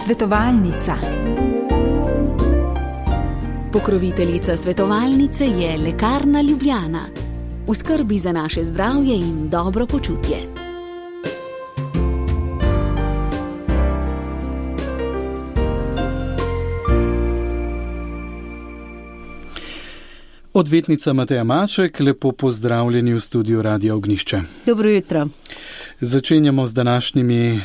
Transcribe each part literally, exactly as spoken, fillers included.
Svetovalnica. Pokroviteljica svetovalnice je Lekarna Ljubljana. V skrbi za naše zdravje in dobro počutje. Odvetnica Mateja Maček, lepo pozdravljeni v studiu Radia Ognjišče. Dobro jutro. Začenjamo z današnjimi eh,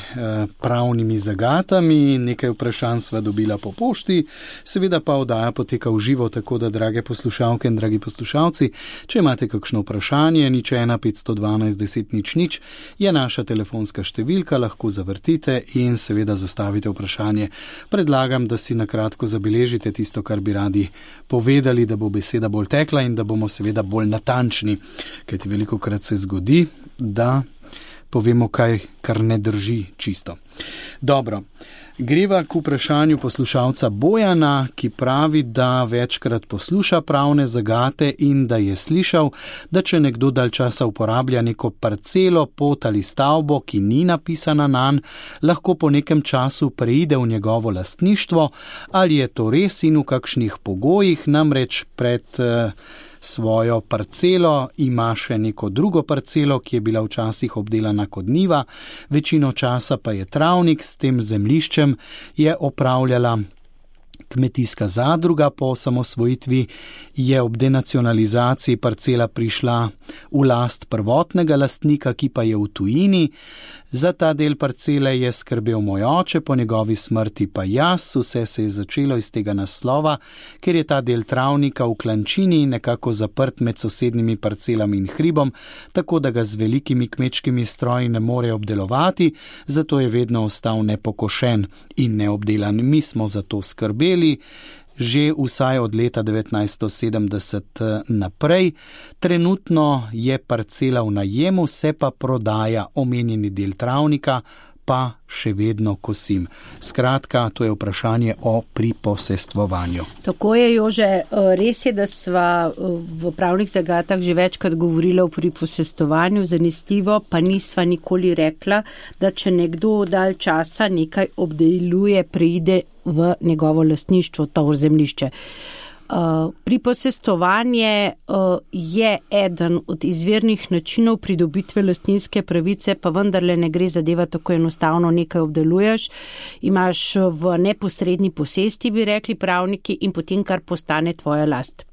pravnimi zagatami. Nekaj vprašanj sva dobila po pošti, seveda pa oddaja poteka v živo, tako da, drage poslušalke in dragi poslušalci, če imate kakšno vprašanje, nič ena petsto dvanajst deset nič nič je naša telefonska številka, lahko zavrtite in seveda zastavite vprašanje. Predlagam, da si nakratko zabeležite tisto, kar bi radi povedali, da bo beseda bolj tekla in da bomo seveda bolj natančni, kajti velikokrat se zgodi, da povemo kaj, kar ne drži čisto. Dobro, greva k vprašanju poslušalca Bojana, ki pravi, da večkrat posluša pravne zagate in da je slišal, da če nekdo dalj časa uporablja neko parcelo, pot ali stavbo, ki ni napisana nanj, lahko po nekem času preide v njegovo lastništvo. Ali je to res in v kakšnih pogojih? Namreč pred eh, svojo parcelo ima še neko drugo parcelo, ki je bila včasih obdelana kot njiva, večino časa pa je travnik, s tem zemljiščem je opravljala kmetijska zadruga. Po osamosvojitvi je ob denacionalizaciji parcela prišla v last prvotnega lastnika, ki pa je v tujini. Za ta del parcele je skrbel moj oče, po njegovi smrti pa jaz. Vse se je začelo iz tega naslova, ker je ta del travnika v klančini nekako zaprt med sosednjimi parcelami in hribom, tako da ga z velikimi kmečkimi stroji ne more obdelovati, zato je vedno ostal nepokošen in neobdelan. Mi smo za to skrbeli že vsaj od leta devetnajststo sedemdeset naprej. Trenutno je parcela v najemu, se pa prodaja, omenjeni del travnika pa še vedno kosim. Skratka, to je vprašanje o priposestvovanju. Tako je, Jože. Res je, da sva v pravnih zagatah že večkrat govorila o priposestvovanju, zanesljivo pa nisva nikoli rekla, da če nekdo dalj časa nekaj obdeluje, preide v njegovo lastništvo, to zemljišče. Uh, priposestvovanje uh, je eden od izvirnih načinov pridobitve lastninske pravice, pa vendarle ne gre zadeva tako enostavno, nekaj obdeluješ, imaš v neposredni posesti, bi rekli pravniki, in potem kar postane tvoja last.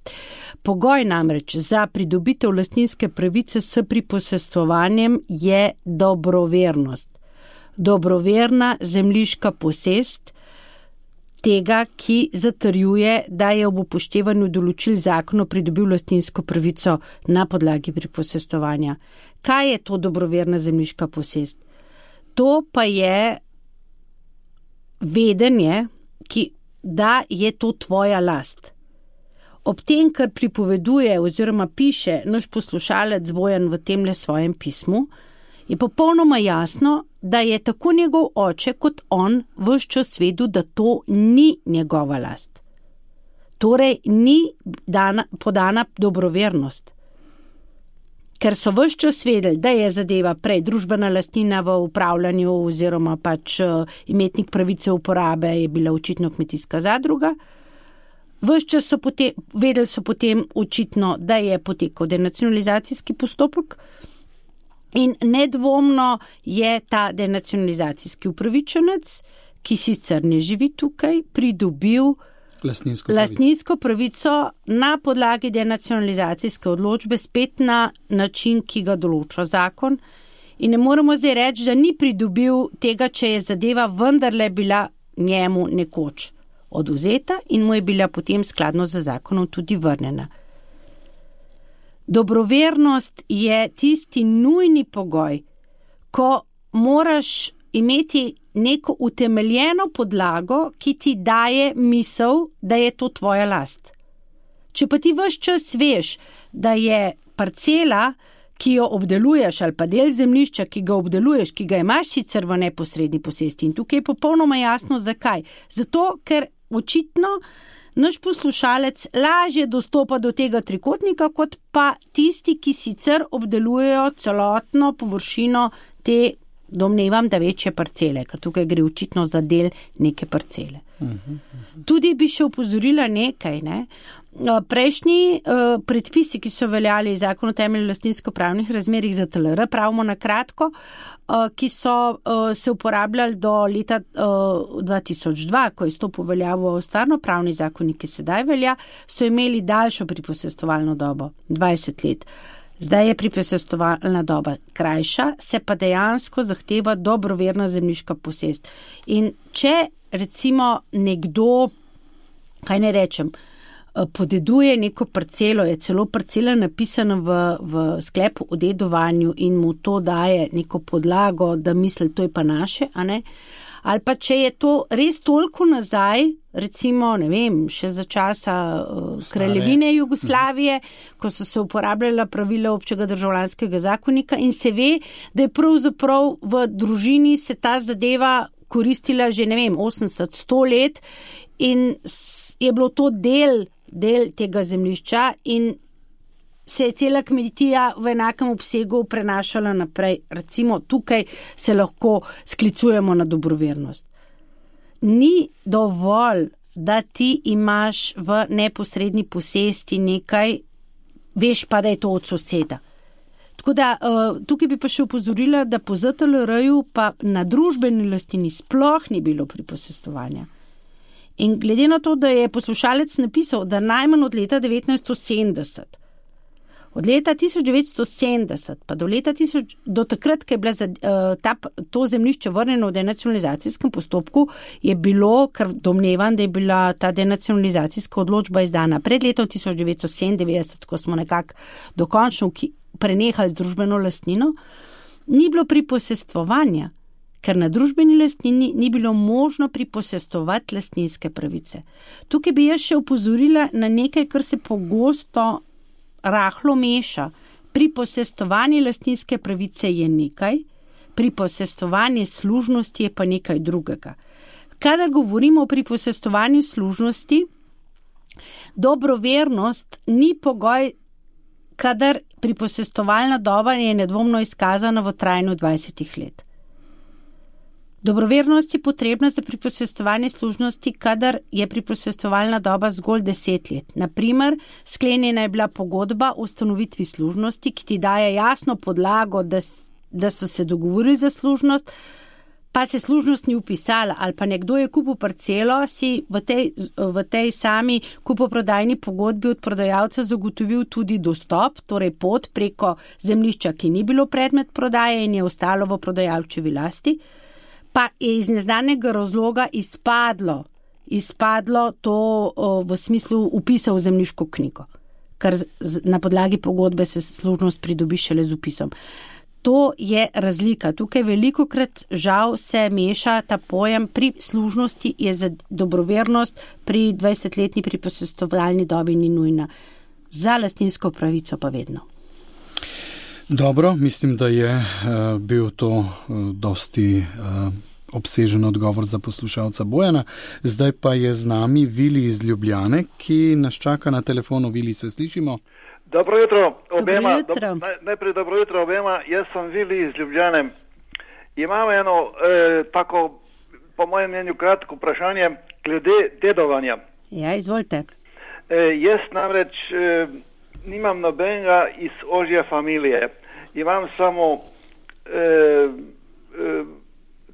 Pogoj namreč za pridobitev lastninske pravice s priposestvovanjem je dobrovernost. Dobroverna zemljiška posest tega, ki zatrjuje, da je ob upoštevanju določil zakona pridobil lastninsko pravico na podlagi priposestvovanja. Kaj je to dobroverna zemljiška posest? To pa je vedenje, ki, da je to tvoja last. Ob tem, kar pripoveduje oziroma piše naš poslušalec Bojan v temle svojem pismu, je popolnoma jasno, da je tako njegov oče kot on ves čas vedel, da to ni njegova last. Torej ni dana, podana dobrovernost. Ker so ves čas vedeli, da je zadeva prej družbena lastnina v upravljanju oziroma pač imetnik pravice uporabe je bila očitno kmetijska zadruga, ves čas so potem, vedeli so potem očitno, da je potekal denacionalizacijski postopek. In nedvomno je ta denacionalizacijski upravičenec, ki sicer ne živi tukaj, pridobil lastninsko, lastninsko pravico na podlagi denacionalizacijske odločbe, spet na način, ki ga določa zakon. In ne moremo zdaj reči, da ni pridobil tega, če je zadeva vendarle bila njemu nekoč odvzeta in mu je bila potem skladno z zakonom tudi vrnjena. Dobrovernost je tisti nujni pogoj, ko moraš imeti neko utemeljeno podlago, ki ti daje misel, da je to tvoja last. Če pa ti ves čas veš, da je parcela, ki jo obdeluješ, ali pa del zemljišča, ki ga obdeluješ, ki ga imaš sicer v neposredni posesti, in tukaj je popolnoma jasno zakaj. Zato, ker očitno naš poslušalec lažje dostopa do tega trikotnika, kot pa tisti, ki sicer obdelujejo celotno površino te domnevam, da večje parcele, ker tukaj gre očitno za del neke parcele. Tudi bi še upozorila nekaj, ne? Prejšnji uh, predpisi, ki so veljali zakon o temeljnih lastninsko-pravnih razmerjih za T L R, pravimo na kratko, uh, ki so uh, se uporabljali do leta uh, dva tisoč dva, ko je stopil veljavo stvarno-pravni zakonik, ki sedaj velja, so imeli daljšo priposestovalno dobo, dvajset let. Zdaj je priposestovalna doba krajša, se pa dejansko zahteva dobroverna zemljiška posest. In če recimo nekdo, kaj ne rečem, podeduje neko parcelo, je celo parcela napisana v, v sklepu o dedovanju in mu to daje neko podlago, da misli, to je pa naše, a ne? Ali pa če je to res toliko nazaj, recimo, ne vem, še za časa uh, kraljevine Jugoslavije, ko so se uporabljala pravila občega državljanskega zakonika in se ve, da je pravzaprav v družini se ta zadeva koristila že, ne vem, osemdeset, sto let in je bilo to del del tega zemljišča in se je cela kmetija v enakem obsegu prenašala naprej. Recimo tukaj se lahko sklicujemo na dobrovernost. Ni dovolj, da ti imaš v neposredni posesti nekaj, veš pa, da je to od soseda. Tako da tukaj bi pa še upozorila, da po Z T L R-ju pa na družbeni lastnini sploh ni bilo priposestovanja. In glede na to, da je poslušalec napisal, da najmanj od leta devetnajststo sedemdeset, od leta tisoč devetsto sedemdeset pa do leta tisoč, do takrat, ko je bila za, uh, ta, to zemljišče vrnjeno v denacionalizacijskem postopku, je bilo, ker domnevam, da je bila ta denacionalizacijska odločba izdana pred letom tisoč devetsto sedemindevetdeset, ko smo nekako dokončno prenehali z družbeno lastnino, ni bilo priposestvovanja, ker na družbeni lastnini ni bilo možno priposestovati lastninske pravice. Tukaj bi jaz še upozorila na nekaj, kar se pogosto rahlo meša. Priposestovanje lastninske pravice je nekaj, priposestovanje služnosti je pa nekaj drugega. Kadar govorimo o priposestovanju služnosti, dobrovernost ni pogoj, kadar priposestovalna doba je nedvomno izkazana v trajanju dvajsetih let. Dobrovernost je potrebna za priposestovanje služnosti, kadar je priposestovalna doba zgolj deset let. Naprimer, sklenjena je bila pogodba o ustanovitvi služnosti, ki ti daje jasno podlago, da, da so se dogovorili za služnost, pa se služnost ni upisala, ali pa nekdo je kupil parcelo, si v tej, v tej sami kupoprodajni pogodbi od prodajalca zagotovil tudi dostop, torej pot preko zemljišča, ki ni bilo predmet prodaje in je ostalo v prodajalčevi lasti, pa je iz neznanega razloga izpadlo, izpadlo to o, v smislu upisa v zemljiško knjigo, ker z, na podlagi pogodbe se služnost pridobi šele z upisom. To je razlika. Tukaj velikokrat žal se meša ta pojem, pri služnosti je za dobrovernost pri dvajsetletni priposestovalni dobi ni nujna. Za lastninsko pravico pa vedno. Dobro, mislim, da je uh, bil to uh, dosti uh, obsežen odgovor za poslušalca Bojana. Zdaj pa je z nami Vili iz Ljubljane, ki nas čaka na telefonu. Vili, se slišimo? Dobro jutro obema. Dobro jutro. Do, najprej dobro jutro obema. Jaz sem Vili iz Ljubljane. Imam eno eh, tako, po mojem mnenju, kratko vprašanje glede dedovanja. Ja, izvolite. Eh, jaz namreč eh, nimam nobenega iz ožje familije. Imam samo eh, eh,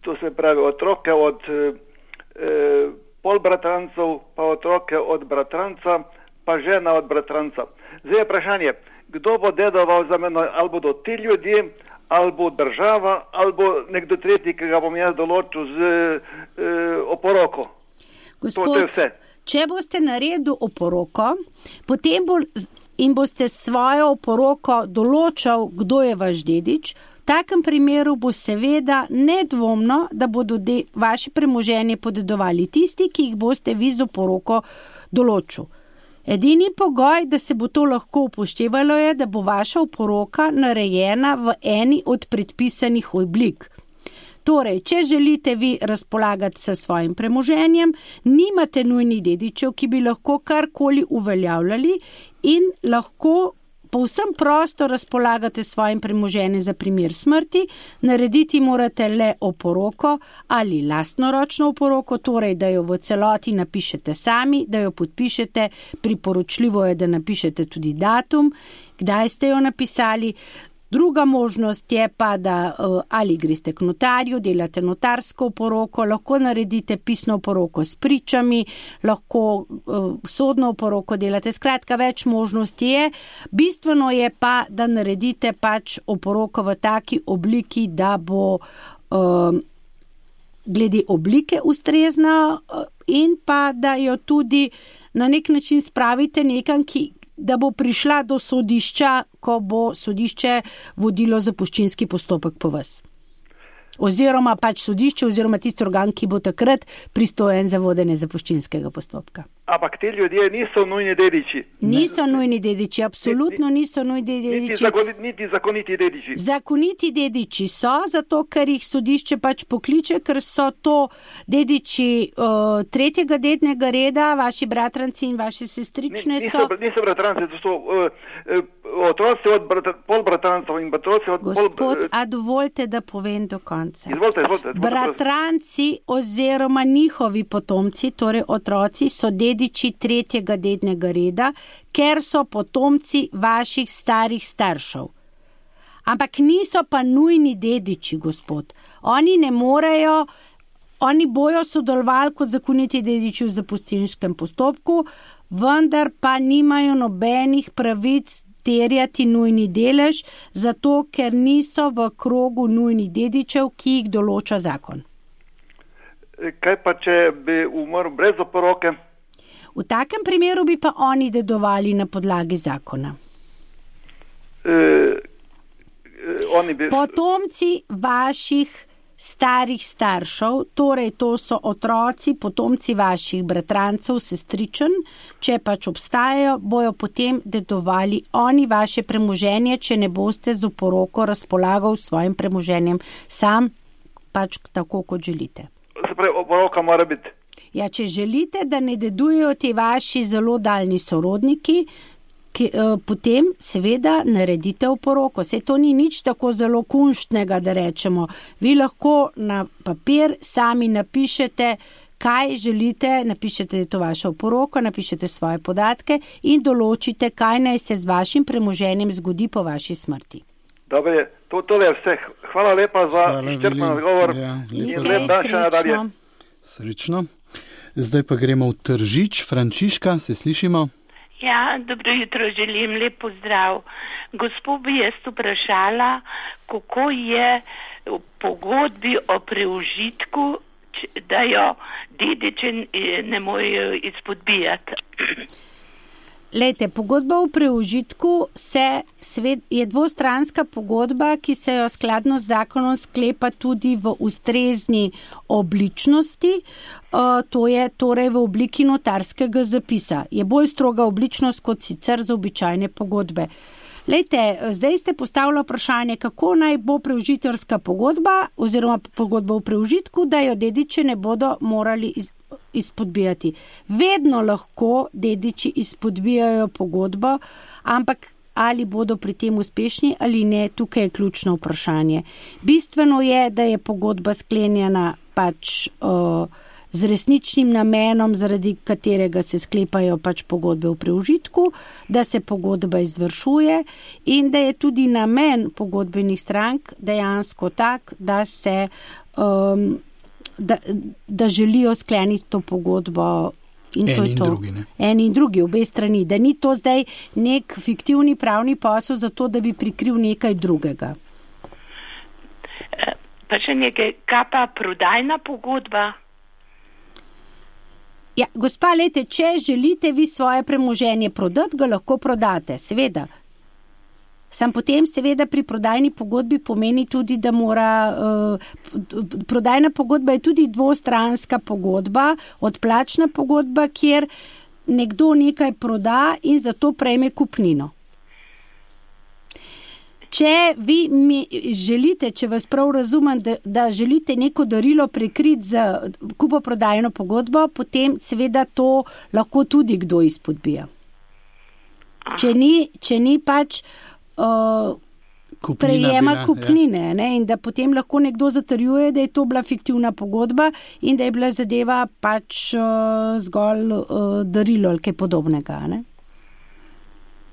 to se pravi otroke od eh, polbratrancev, pa otroke od bratranca, pa žena od bratranca. Zdaj je vprašanje, kdo bo dedoval za meno, ali bodo ti ljudje, ali bo država, ali bo nekdo tretji, ki ga bom jaz določil z eh, oporoko. Gospod, to, to je vse. Če boste naredili oporoko, potem bo in boste svojo oporoko določal, kdo je vaš dedič, v takem primeru bo seveda nedvomno, da bodo de, vaše premoženje podedovali tisti, ki jih boste vi z oporoko določil. Edini pogoj, da se bo to lahko upoštevalo, je, da bo vaša oporoka narejena v eni od predpisanih oblik. Torej, če želite vi razpolagati s svojim premoženjem, nimate nujnih dedičev, ki bi lahko karkoli uveljavljali in lahko povsem prosto razpolagate svojim premoženjem za primer smrti, narediti morate le oporoko ali lastnoročno oporoko, torej da jo v celoti napišete sami, da jo podpišete, priporočljivo je, da napišete tudi datum, kdaj ste jo napisali. Druga možnost je pa, da ali greste k notarju, delate notarsko oporoko, lahko naredite pisno oporoko s pričami, lahko sodno oporoko delate. Skratka, več možnosti je. Bistveno je pa, da naredite pač oporoko v taki obliki, da bo um, glede oblike ustrezna in pa, da jo tudi na nek način spravite nekam, ki da bo prišla do sodišča, ko bo sodišče vodilo zapuščinski postopek po vas. Oziroma pač sodišče, oziroma tisti organ, ki bo takrat pristojen za vodenje zapuščinskega postopka. Ampak ti ljudje niso nujni dediči. Niso nujni dediči, absolutno niso nujni dediči. Niti, zakoni, niti zakoniti dediči. Zakoniti dediči so, zato ker jih sodišče pač pokliče, ker so to dediči uh, tretjega dednega reda, vaši bratranci in vaše sestrične niso, so. Niso bratranci, to so uh, uh, otroci od brat, pol bratrancev in otroci od Gospod, pol... Gospod, a dovolite, da povem do konca. Izvolite, izvolite. Bratranci oziroma njihovi potomci, torej otroci, so dediči tretjega dednega reda, ker so potomci vaših starih staršev. Ampak niso pa nujni dediči, gospod. Oni ne morejo, oni bojo sodelovali kot zakoniti dediči v zapuščinskem postopku, vendar pa nimajo nobenih pravic terjati nujni delež, zato ker niso v krogu nujnih dedičev, ki jih določa zakon. Kaj pa, če bi umrl brez oporoke? V takem primeru bi pa oni dedovali na podlagi zakona. E, oni bi... Potomci vaših starih staršev, torej to so otroci, potomci vaših bratrancev, sestričen, če pač obstajajo, bojo potem dedovali oni vaše premoženje, če ne boste z oporoko razpolagal s svojim premoženjem sam, pač tako, kot želite. Se pravi, oporoka mora biti. Ja, če želite, da ne dedujejo ti vaši zelo daljni sorodniki, ki, eh, potem seveda naredite oporoko. Saj to ni nič tako zelo kunštnega, da rečemo. Vi lahko na papir sami napišete, kaj želite, napišete, da je to vaša oporoko, napišete svoje podatke in določite, kaj naj se z vašim premoženjem zgodi po vaši smrti. Dobre, to, tole je vse. Hvala lepa za izčrpen odgovor. Ja, in lep dan še nadalje. Srečno. Zdaj pa gremo v Tržič. Frančiška, se slišimo? Ja, dobro jutro, želim lep pozdrav. Gospod bi jaz vprašala, kako je v pogodbi o preužitku, da jo dediči ne morejo izpodbijati. Lejte, pogodba o preužitku se, svet, je dvostranska pogodba, ki se jo skladno z zakonom sklepa tudi v ustrezni obličnosti, uh, to je torej v obliki notarskega zapisa. Je bolj stroga obličnost kot sicer za običajne pogodbe. Lejte, zdaj ste postavili vprašanje, kako naj bo preužiteljska pogodba oziroma pogodba o preužitku, da jo dediči ne bodo morali iz, izpodbijati. Vedno lahko dediči izpodbijajo pogodbo, ampak ali bodo pri tem uspešni ali ne, tukaj je ključno vprašanje. Bistveno je, da je pogodba sklenjena pač uh, z resničnim namenom, zaradi katerega se sklepajo pač pogodbe o preužitku, da se pogodba izvršuje in da je tudi namen pogodbenih strank dejansko tak, da se um, da, da želijo skleniti to pogodbo in to Eni je in to. drugi, ne? Eni in drugi, obe strani, da ni to zdaj nek fiktivni pravni posel za to, da bi prikril nekaj drugega. Pa še nekaj, kaj pa prodajna pogodba? Ja, gospa, lejte, če želite vi svoje premoženje prodati, ga lahko prodate, seveda. Sam potem seveda pri prodajni pogodbi pomeni tudi, da mora, uh, prodajna pogodba je tudi dvostranska pogodba, odplačna pogodba, kjer nekdo nekaj proda in zato prejme kupnino. Če vi mi želite, če vas prav razumem, da, da želite neko darilo prekriti z kupoprodajno pogodbo, potem seveda to lahko tudi kdo izpodbija. če ni, če ni pač uh, prejema bila, kupnine, ja. Ne, in da potem lahko nekdo zatrjuje, da je to bila fiktivna pogodba in da je bila zadeva pač uh, zgolj uh, darilo ali kaj podobnega. Ne.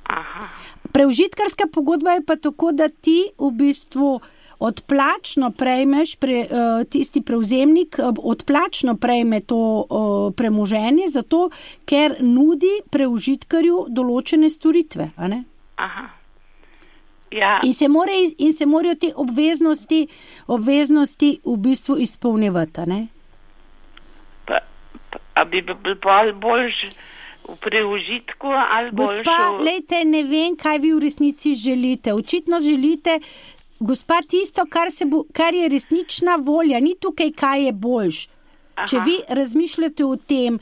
Aha. Preužitkarska pogodba je pa tako, da ti v bistvu odplačno prejmeš, pre, uh, tisti prevzemnik uh, odplačno prejme to uh, premoženje, zato ker nudi preužitkarju določene storitve. A ne? Aha. Ja. In, se more, in se morajo te obveznosti, obveznosti v bistvu izpolnjevati. Ne? Pa, pa, a bi bil bolj boljš v preužitku ali boljš? Gospa, lejte, ne vem, kaj vi v resnici želite. Očitno želite, gospa, tisto, kar, se bo, kar je resnična volja, ni tukaj, kaj je boljš. Aha. Če vi razmišljate o tem,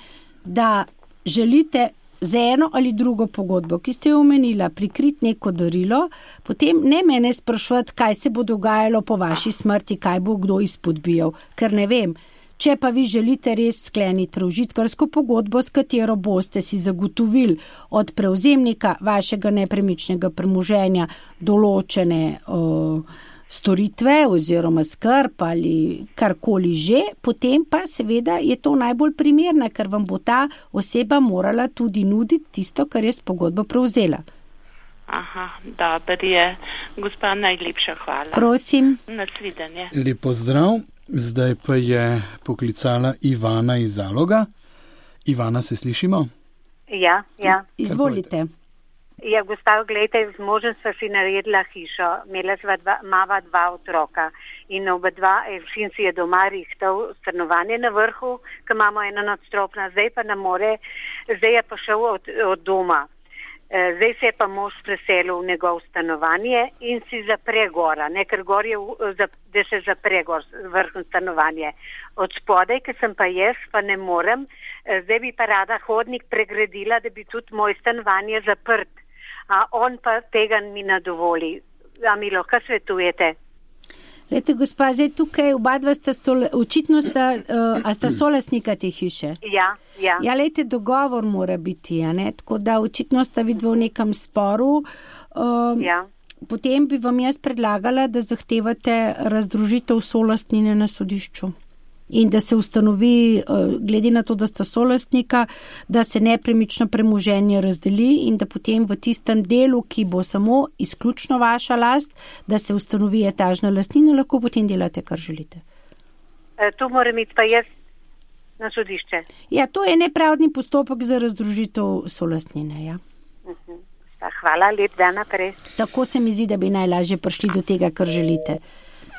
da želite za eno ali drugo pogodbo, ki ste jo omenila, prikriti neko darilo, potem ne mene sprašvati, kaj se bo dogajalo po vaši smrti, kaj bo kdo izpodbijal, ker ne vem. Če pa vi želite res skleniti preužitkarsko pogodbo, s katero boste si zagotovili od prevzemnika vašega nepremičnega premoženja določene o, storitve oziroma skrb ali karkoli že, potem pa seveda je to najbolj primerno, ker vam bo ta oseba morala tudi nuditi tisto, kar je s pogodbo prevzela. Aha, dober je. Gospa, najlepša hvala. Prosim. Nasvidenje. Lep pozdrav. Zdaj pa je poklicala Ivana iz Zaloga. Ivana, se slišimo? Ja, ja. Izvolite. Ja, gospa, gledajte, z možem sva si naredila hišo. Imela sva dva, mava dva otroka in oba dva, sin si je doma rihtal stanovanje na vrhu, ki imamo eno nadstropna, zdaj pa ne more, zdaj je pa šel od, od doma. Zdaj se je pa mož preselil v njegov stanovanje in si zapre gora, ne, ker gor je, da se zapre gor vrhno stanovanje. Od spodaj, ki sem pa jaz, pa ne morem, zdaj bi pa rada hodnik pregradila, da bi tudi moj stanovanje zaprt. A on pa tega mi ne dovoli. A mi lahko svetujete? Lete, gospa, zdaj tukaj oba dva sta stole, očitno sta, uh, a sta solastnika te hiše. Ja, ja. Ja, lete, dogovor mora biti, a ne, tako da očitno sta vidva v nekem sporu. Uh, ja. Potem bi vam jaz predlagala, da zahtevate razdružitev solastnine na sodišču. In da se ustanovi, glede na to, da sta solastnika, da se nepremično premoženje razdeli in da potem v tistem delu, ki bo samo izključno vaša last, da se ustanovi etažna lastnina, lahko potem delate, kar želite. E, tu moram iti pa jaz na sodišče. Ja, to je nepravdni postopek za razdružitev solastnine, ja. Uh-huh. Hvala, lep dan naprej. Tako se mi zdi, da bi najlažje prišli do tega, kar želite.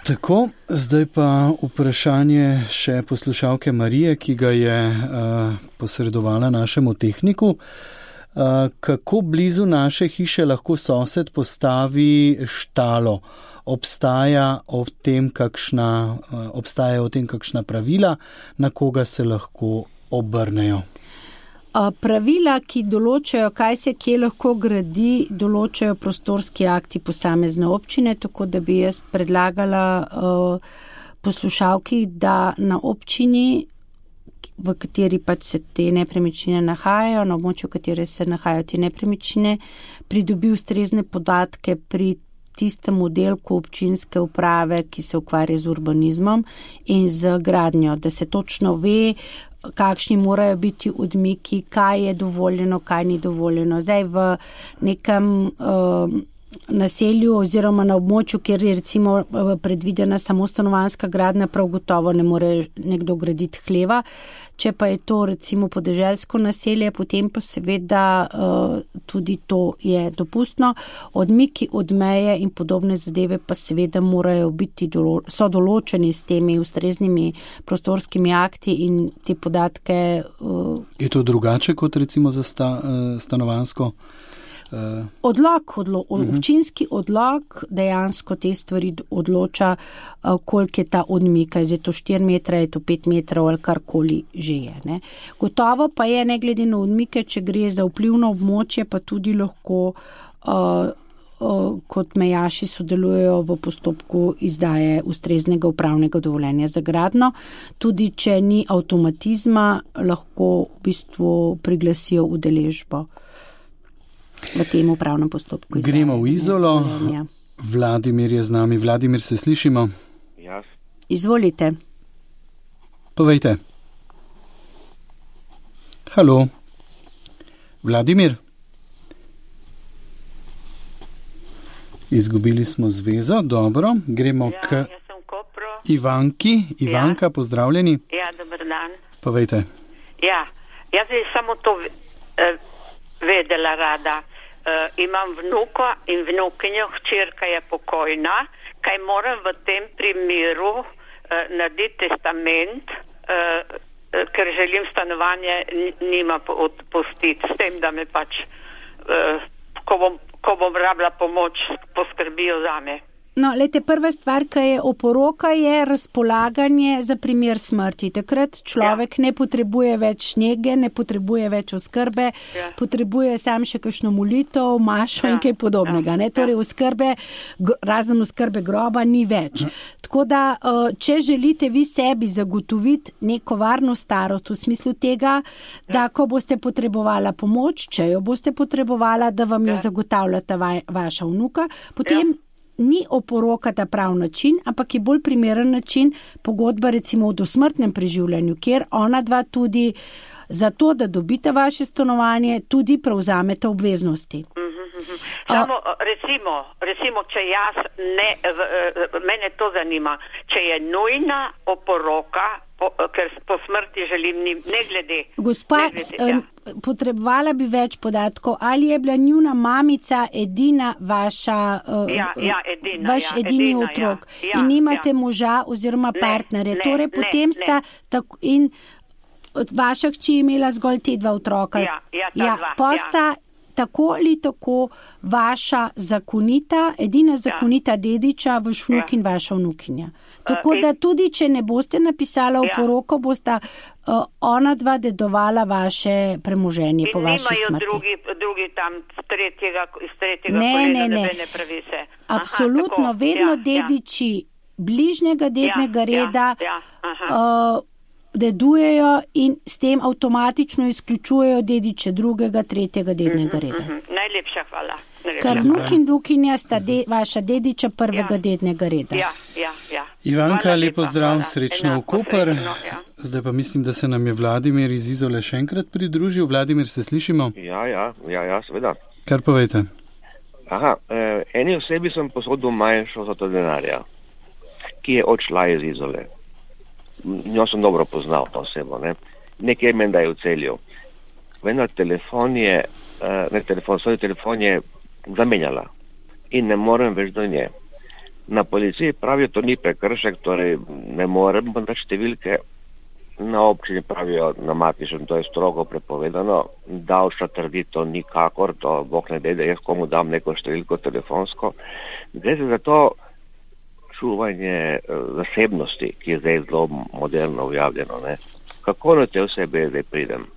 Tako, zdaj pa vprašanje še poslušalke Marije, ki ga je uh, posredovala našemu tehniku. Uh, kako blizu naše hiše lahko sosed postavi štalo? Obstaja o tem kakšna, uh, obstajajo o tem kakšna pravila, na koga se lahko obrnejo? Pravila, ki določajo, kaj se kje lahko gradi, določajo prostorski akti posamezne občine, tako da bi jaz predlagala uh, poslušalki, da na občini, v kateri pač se te nepremičnine nahajajo, na območju, v kateri se nahajajo te nepremičnine, pridobi ustrezne podatke pri tistem oddelku občinske uprave, ki se ukvarja z urbanizmom in z gradnjo, da se točno ve, kakšni morajo biti odmiki, kaj je dovoljeno, kaj ni dovoljeno. Zdaj v nekem uh, naselju oziroma na območju, kjer je recimo predvidena samo stanovanjska gradnja, prav gotovo ne more nekdo graditi hleva. Če pa je to recimo podeželsko naselje, potem pa seveda uh, tudi to je dopustno. Odmiki od meje in podobne zadeve pa seveda morajo biti, dolo- so določeni s temi ustreznimi prostorskimi akti in te podatke. Uh, je to drugače kot recimo za sta, uh, stanovanjsko? Odlok, odlo, občinski odlok dejansko te stvari odloča, koliko je ta odmik, je to štiri metre, je to pet metrov ali karkoli že je. Ne. Gotovo pa je, ne glede na odmike, če gre za vplivno območje, pa tudi lahko uh, uh, kot mejaši sodelujejo v postopku izdaje ustreznega upravnega dovoljenja za gradnjo. Tudi če ni avtomatizma, lahko v bistvu priglasijo udeležbo. v tem upravnem postopku. Gremo v Izolo. Vladimir je z nami. Vladimir, se slišimo? Jaz. Izvolite. Povejte. Halo. Vladimir? Izgubili smo zvezo, dobro. Gremo ja, k jaz sem Kopro. Ivanki. Ivanka, ja. Pozdravljeni. Ja, dober dan. Povejte. Ja, jaz bi samo to uh, vedela rada. Uh, imam vnuka in vnukinjo, hčerka je pokojna, kaj moram v tem primeru uh, narediti testament, uh, uh, ker želim stanovanje njima odpustiti, s tem, da me pač, uh, ko bom, ko bom rabila pomoč, poskrbijo zame. No, lejte, prva stvar, ki je oporoka, je razpolaganje za primer smrti. Takrat človek ja. ne potrebuje več njege, ne potrebuje več oskrbe, ja. potrebuje sam še kakšno molitev, mašo ja. in kaj podobnega. Ne? Torej, oskrbe, razen oskrbe groba ni več. Tako da, če želite vi sebi zagotoviti neko varno starost v smislu tega, da ko boste potrebovala pomoč, če jo boste potrebovala, da vam jo zagotavljata vaša vnuka, potem ja. ni oporoka ta prav način, ampak je bolj primeren način pogodba recimo o dosmrtnem preživljanju, kjer ona dva tudi za to, da dobite vaše stanovanje, tudi prevzamete obveznosti. Mm-hmm. Samo recimo, recimo, če jaz ne, mene to zanima, če je nujna oporoka, po, ker po smrti želim ne glede. Gospa, ne glede, ja. potrebovala bi več podatkov, ali je bila njuna mamica edina vaša, ja, ja, edina, vaš ja, edini edina, otrok ja, ja, in nimate ja. moža oziroma ne, partnerja. Ne, torej, ne, potem ne. sta tako in vaša hči je imela zgolj te dva otroka. Ja, ja, ta ja, dva, posta ja. tako ali tako vaša zakonita, edina zakonita ja. dediča, vaš vnuk ja. in vaša vnukinja. Tako uh, da tudi, če ne boste napisala v poroko, bosta uh, ona dva dedovala vaše premoženje po vaši smrti. In nimajo drugi, drugi tam z tretjega, iz tretjega ne, kolena ne, ne. nebene pravice. Absolutno, aha, vedno ja, dediči ja. bližnjega dednega ja, reda ja, ja, uh, dedujejo in s tem avtomatično izključujejo dediče drugega, tretjega dednega reda. Uh-huh, uh-huh. Najlepša hvala. Ker vnuk in vnukinja sta de, vaša dediča prvega ja. dednega reda. Ja, ja, ja. Ivanka, hvala lepo lepa, zdrav, hvala. srečno Enako, v Koper. srečno, ja. Zdaj pa mislim, da se nam je Vladimir iz Izole še enkrat pridružil. Vladimir, se slišimo? Ja, ja, ja, ja, seveda. Kar povejte. Aha, eh, eni osebi sem posodil manjšo za to denarja, ki je odšla iz Izole. Njo sem dobro poznal, to osebo, ne. Nekje menda je v Celju. Vendar telefon je, uh, ne telefon, svoj telefon je zamenjala in ne morem več do nje. Na policiji pravijo, to ni prekršek, torej ne morem dati številke. Na občini pravijo, na matičnem, to je strogo prepovedano. Davčna trdi to nikakor, to Bog ne dej, da jaz komu dam neko številko telefonsko. Gre se za to čuvanje zasebnosti, ki je zdaj zelo moderno objavljeno. Ne? Kako na te osebe zdaj pridem?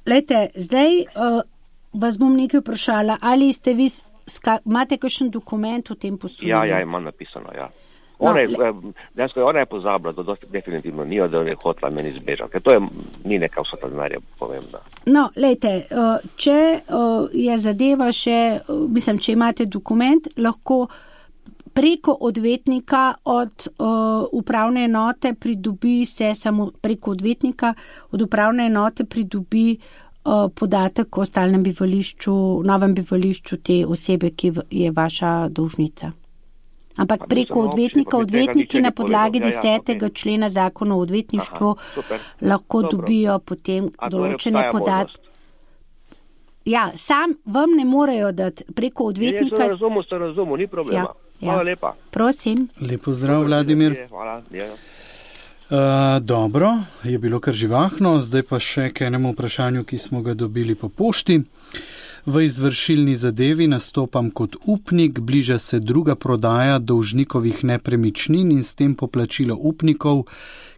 Lejte, zdaj uh, vas bom nekaj vprašala, ali ste vi, ska, imate kakšen dokument o tem poslu? Ja, ja, imam napisano, ja. Ona, no, je, dejansko, ona je pozabila, da dosti definitivno ni, da je hotela meni zbežati, ker to je, ni neka vsota denarja pomembna. No, lejte, uh, če uh, je zadeva še, uh, mislim, če imate dokument, lahko preko odvetnika od uh, upravne enote pridobi se samo preko odvetnika od upravne enote pridobi uh, podatek o stalnem bivališču, novem bivališču te osebe, ki je vaša dolžnica. Ampak preko odvetnika, odvetniki na podlagi desetega člena zakona o odvetništvu Aha, lahko Dobro. dobijo potem A določene podatke. Ja, sam vam ne morejo dati preko odvetnika. Ja, ja, razumu, ste razumu, ni problema. Ja. Hvala lepa. Prosim. Lepo zdrav, Vladimir. Hvala. Ja. Uh, dobro, je bilo kar živahno, zdaj pa še k enemu vprašanju, ki smo ga dobili po pošti. V izvršilni zadevi nastopam kot upnik, bliža se druga prodaja dolžnikovih nepremičnin in s tem poplačilo upnikov,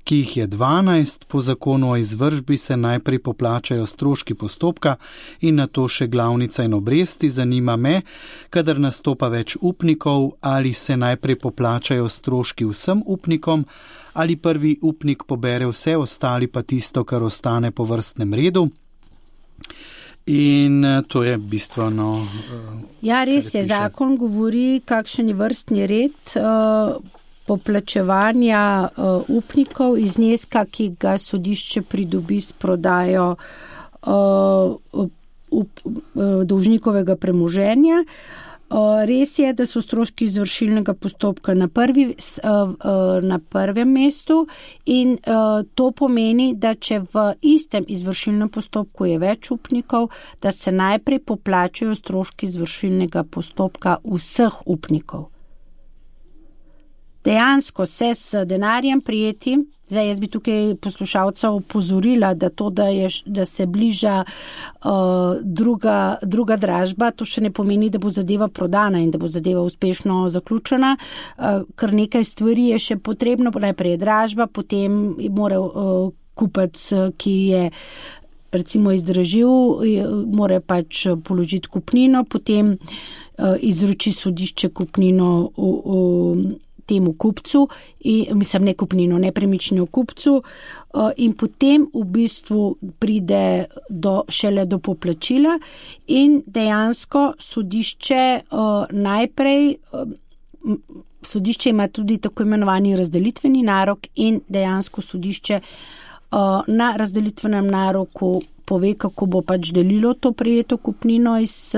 ki jih je dvanajst, po zakonu o izvršbi se najprej poplačajo stroški postopka in nato še glavnica in obresti. Zanima me, kadar nastopa več upnikov, ali se najprej poplačajo stroški vsem upnikom, ali prvi upnik pobere vse, ostali pa tisto, kar ostane po vrstnem redu. In to je bistveno. Ja, res je, zakon govori, kakšen je vrstni red uh, poplačevanja uh, upnikov iz zneska, ki ga sodišče pridobi s prodajo uh, up, uh, dolžnikovega premoženja. Res je, da so stroški izvršilnega postopka na, prvi, na prvem mestu in to pomeni, da če v istem izvršilnem postopku je več upnikov, da se najprej poplačajo stroški izvršilnega postopka vseh upnikov. Dejansko se s denarjem prijeti, zdaj jaz bi tukaj poslušalca opozorila, da to, da, je, da se bliža uh, druga, druga dražba, to še ne pomeni, da bo zadeva prodana in da bo zadeva uspešno zaključena, uh, ker nekaj stvari je še potrebno, najprej je dražba, potem mora uh, kupec, ki je recimo izdražil, mora pač položiti kupnino, potem uh, izroči sodišče kupnino v, v temu kupcu, in, mislim ne kupnino, nepremičnino kupcu in potem v bistvu pride do, šele do poplačila in dejansko sodišče najprej, sodišče ima tudi tako imenovani razdelitveni narok in dejansko sodišče na razdelitvenem naroku pove, kako bo pač delilo to prijeto kupnino iz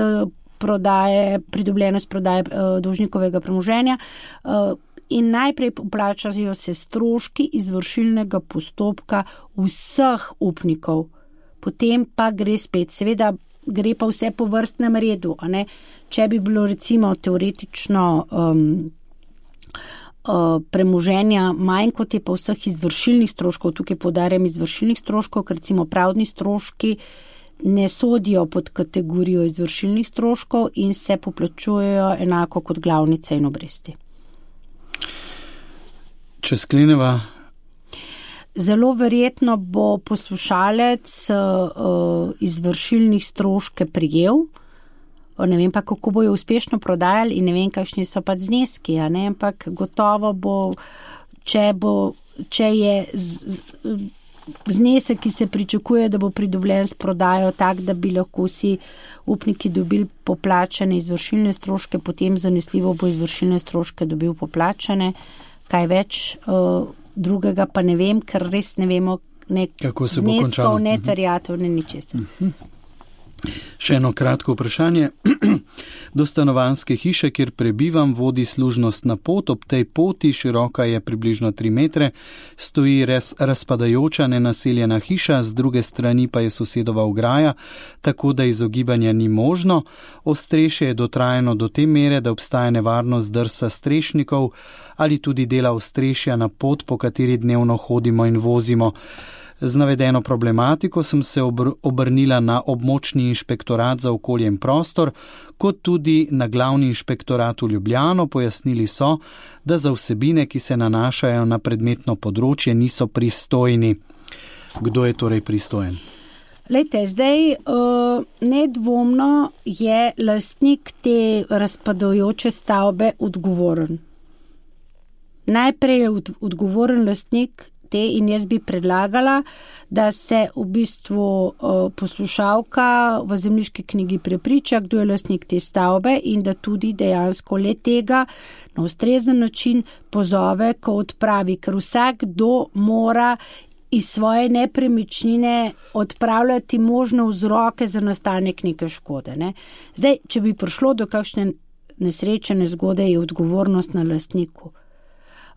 prodaje, pridobljeno iz prodaje dolžnikovega premoženja. In najprej poplačajo se stroški izvršilnega postopka vseh upnikov. Potem pa gre spet, seveda gre pa vse po vrstnem redu. A ne? Če bi bilo recimo teoretično um, uh, premoženja manj, kot je pa vseh izvršilnih stroškov, tukaj poudarjam izvršilnih stroškov, ker recimo pravdni stroški ne sodijo pod kategorijo izvršilnih stroškov in se poplačujejo enako kot glavnice in obresti. Če skleneva? Zelo verjetno bo poslušalec uh, izvršilnih stroške prijel, ne vem pa, kako bojo uspešno prodajali in ne vem, kakšni so pa zneski, a ne, ampak gotovo bo, če bo, če je z, znesek, ki se pričakuje, da bo pridobljen s prodajo tak, da bi lahko vsi upniki dobili poplačane izvršilne stroške, potem zanesljivo bo izvršilne stroške dobil poplačane. Kaj več uh, drugega pa ne vem, ker res ne vemo ne zneskov, ne terjatev, ne ničesar. Uh-huh. Še eno kratko vprašanje. Do stanovanjske hiše, kjer prebivam, vodi služnostna pot. Ob tej poti, široka je približno tri metre, stoji res razpadajoča nenaseljena hiša, z druge strani pa je sosedova ograja, tako da izogibanja ni možno. Ostrešje je dotrajano do te mere, da obstaja nevarnost drsa strešnikov ali tudi dela ostrešja na pot, po kateri dnevno hodimo in vozimo. Z navedeno problematiko sem se obr- obrnila na območni inšpektorat za okolje in prostor, kot tudi na glavni inšpektorat v Ljubljano. Pojasnili so, da za vsebine, ki se nanašajo na predmetno področje, niso pristojni. Kdo je torej pristojen? Lejte, zdaj uh, nedvomno je lastnik te razpadajoče stavbe odgovoren. Najprej je od- odgovoren lastnik te in jaz bi predlagala, da se v bistvu uh, poslušalka v zemljiški knjigi prepriča, kdo je lastnik te stavbe in da tudi dejansko le tega na ustrezen način pozove, ko odpravi, ker vsakdo mora iz svoje nepremičnine odpravljati možne vzroke za nastanek neke škode. Ne? Zdaj, če bi prišlo do kakšne nesrečne zgode, je odgovornost na lastniku.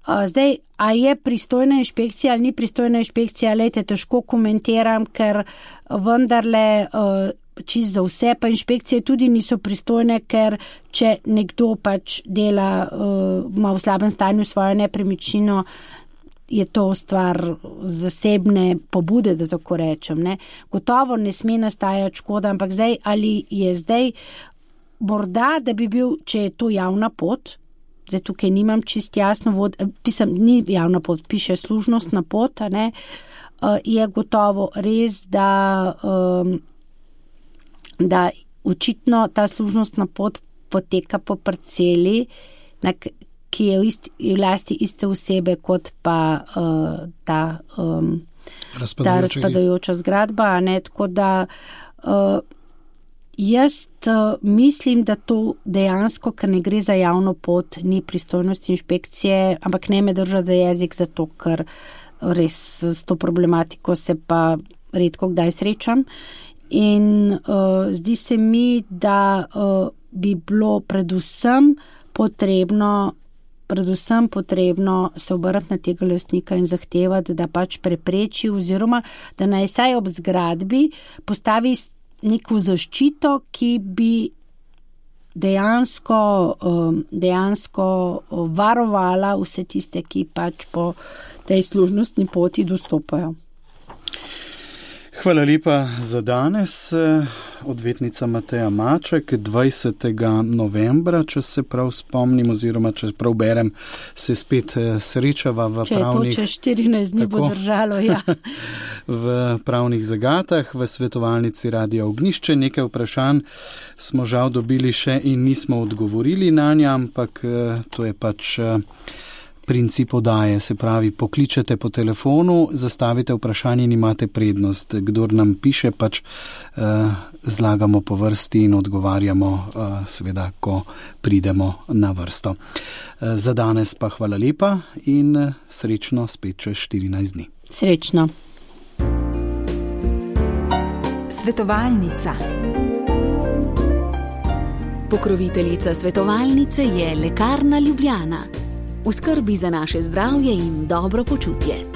Zdaj, a je pristojna inšpekcija ali ni pristojna inšpekcija, lejte, težko komentiram, ker vendarle čist za vse, pa inšpekcije tudi niso pristojne, ker če nekdo pač dela, ima v slabem stanju svojo nepremičnino, je to stvar zasebne pobude, da tako rečem. Ne? Gotovo ne sme nastajati škoda, ampak zdaj, ali je zdaj morda, da bi bil, če je to javna pot, zdaj tukaj nimam čist jasno, vod, pisam, ni javna pot, piše služnostna pot, a ne, je gotovo res, da, da očitno ta služnostna pot poteka po parceli, ki je v, isti, v lasti iste osebe kot pa ta, ta razpadajoča zgradba, a ne, tako da Jaz uh, mislim, da to dejansko, ker ne gre za javno pot, ni pristojnosti inšpekcije, ampak ne me držati za jezik, zato ker res s to problematiko se pa redko kdaj srečam. In uh, zdi se mi, da uh, bi bilo predvsem potrebno, predvsem potrebno se obrati na tega lastnika in zahtevati, da pač prepreči oziroma da naj saj ob zgradbi postavi neko zaščito, ki bi dejansko, dejansko varovala vse tiste, ki pač po tej služnostni poti dostopajo. Hvala lepa za danes. Odvetnica Mateja Maček, dvajsetega novembra, če se prav spomnim, oziroma če prav berem, se spet srečava v če pravnih... Če je to čez štirinajst dni bo držalo, ja. v pravnih zagatah, v svetovalnici Radia Ognjišče. Nekaj vprašanj smo žal dobili še in nismo odgovorili na nja, ampak to je pač princip odaje, se pravi, pokličete po telefonu, zastavite vprašanje in imate prednost. Kdor nam piše, pač uh, zlagamo po vrsti in odgovarjamo, uh, seveda, ko pridemo na vrsto. Uh, za danes pa hvala lepa in uh, srečno spet čez štirinajst dni. Srečno. Svetovalnica. Pokroviteljica svetovalnice je Lekarna Ljubljana. V skrbi za naše zdravje in dobro počutje.